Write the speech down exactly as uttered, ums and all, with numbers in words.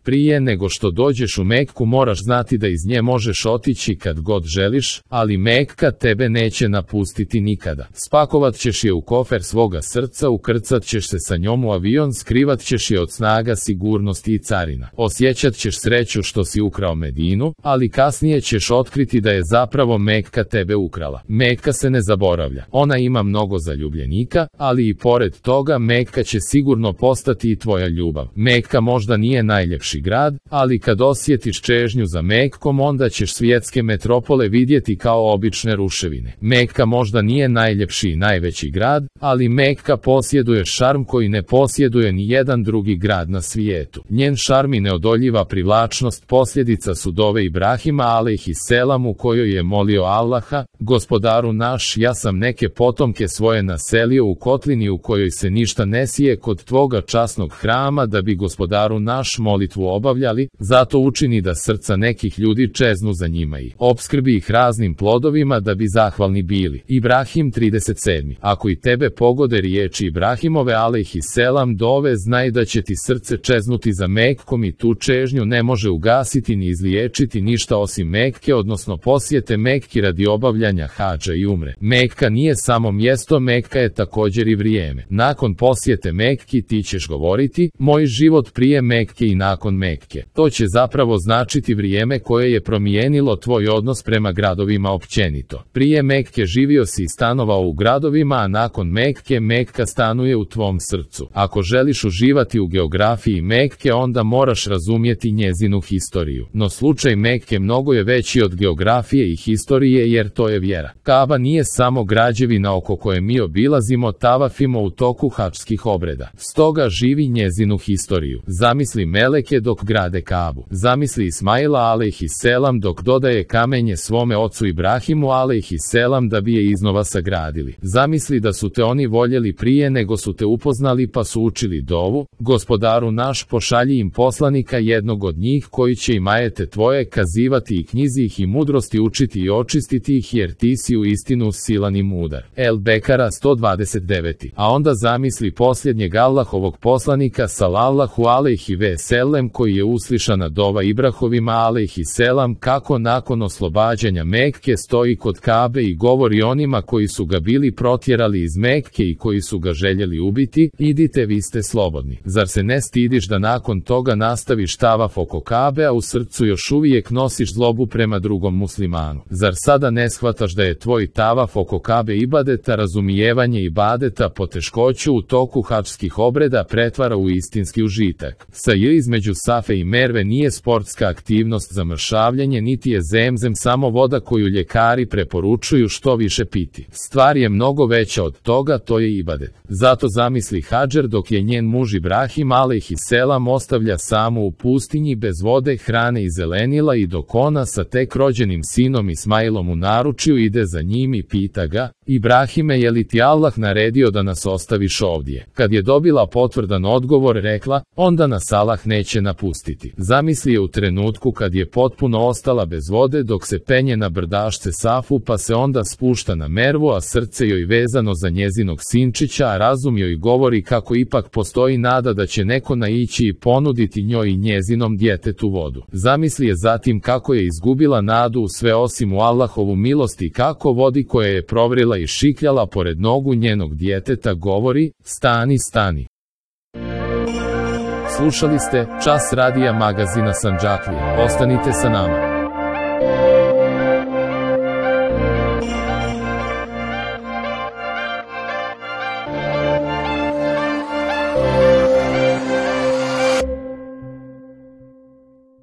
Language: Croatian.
Prije nego što dođeš u Mekku moraš znati da iz nje možeš otići kad god želiš, ali Mekka tebe neće napustiti nikada. Spakovat ćeš je u kofer svoga srca, ukrcat ćeš se sa njom u avion, skrivat ćeš je od snaga sigurnosti i carina. Osjećat ćeš sreću što si ukrao Medinu, ali kasnije ćeš otkriti da je zapravo Mekka tebe ukrala. Mekka se ne zaboravlja. Ona ima mnogo zaljubljenika, ali i pored toga Mekka će sigurno postati i tvoja ljubav. Mekka možda nije najljepši grad, ali kad osjetiš čežnju za Mekkom onda ćeš svjetske metropole vidjeti kao obične ruševine. Mekka možda nije najljepši i najveći grad, ali Mekka posjeduje šarm koji ne posjeduje ni jedan drugi grad na svijetu. Njen šarm i neodoljiva privlačnost posljedica su dove Ibrahima alejhiselam u kojoj je molio Allaha: Gospodaru naš, ja sam neke potomke svoje naselio u kotlini u kojoj se ništa ne sije kod tvoga časnog hrama da bi Gospodaru naš molitvu obavljali, zato učini da srca nekih ljudi čeznu za njima i opskrbi ih raznim plodovima da bi zahvalni bili. Ibrahim trideset sedam. Ako i tebe pogode riječi Ibrahimove alejhiselam dove, znaj da će ti srce čeznuti za Mekkom i tu čežnju ne može ugasiti ni izliječiti ništa osim Mekke, odnosno posjete Mekki radi obavljanja hadža i umre. Mekka nije samo mjesto, Mekka je također i vrijeme. Nakon posjete Mekki ti ćeš govoriti: moj život prije Mekke i nakon Mekke. To će zapravo značiti vrijeme koje je promijenilo tvoj odnos prema gradovima općenito. Prije Mekke živio si i stanovao u gradovima, a nakon Mekke Mekka stanuje u tvom srcu. Ako želiš uživati u geografiji Mekke, onda moraš razumjeti njezinu historiju. No slučaj Mekke mnogo je veći od geografije i historije, jer to je vjera. Kaba nije samo građevina oko koje mi obilazimo, tavafimo u toku hadžskih obreda. Stoga živi njezinu historiju. Zamisli meleke dok grade Kabu. Zamisli Ismaila alejhiselam dok dodaje kamenje svome ocu Ibrahimu alejhiselam da bi je iznova sagradili. Zamisli da su te oni voljeli prije nego su te upoznali pa su učili dovu: Gospodaru naš, pošalji im poslanika jednog od njih koji će im ajete tvoje kazivati i knjizi ih i mudrosti učiti i očistiti ih, jer ti si u istinu silan i mudar. El Bekara sto dvadeset devet. A onda zamisli posljednjeg Allahovog poslanika salallahu alejhi ve sellem koji je uslišana dova Ibrahovima alejhiselam kako nakon oslobađanja Mekke stoji kod Kabe i govori onima koji su ga bili protjerali iz Mekke i koji su ga željeli ubiti: idite, vi ste slobodni. Zar se ne stidiš da nakon toga nastaviš tavaf oko Kabe, a u srcu još uvijek nosiš zlobu prema drugom muslimanu? Zar sada ne shvataš da je tvoj tavaf oko Kabe ibadeta, razumijevanje ibadeta poteškoću u toku hadžskih obreda pretvara u istinski užitak? Saj između Safe i Merve nije sportska aktivnost za mršavljenje, niti je zemzem samo voda koju ljekari preporučuju što više piti. Stvar je mnogo veća od toga, to je ibadet. Zato zamisli Hadžer dok je njen muž Ibrahim alejhiselam ostavlja samu u pustinji bez vode, hrane i zelenila, i dok ona sa tek rođenim sinom Ismailom u naručju ide za njim i pita ga: Ibrahime, je li ti Allah naredio da nas ostaviš ovdje? Kad je dobila potvrdan odgovor, rekla: onda nas Allah neće napustiti. Zamisli je u trenutku kad je potpuno ostala bez vode dok se penje na brdašce Safu, pa se onda spušta na Mervu, a srce joj vezano za njezinog sinčića, a razum joj govori kako ipak postoji nada da će neko naići i ponuditi njoj i njezinom djetetu vodu. Zamisli je zatim kako je izgubila nadu u sve osim u Allahovu milost i kako vodi koja je provrila i šikljala pored nogu njenog djeteta govori: stani, stani. Slušali ste Čas radija magazina Sandžaklija. Ostanite sa nama.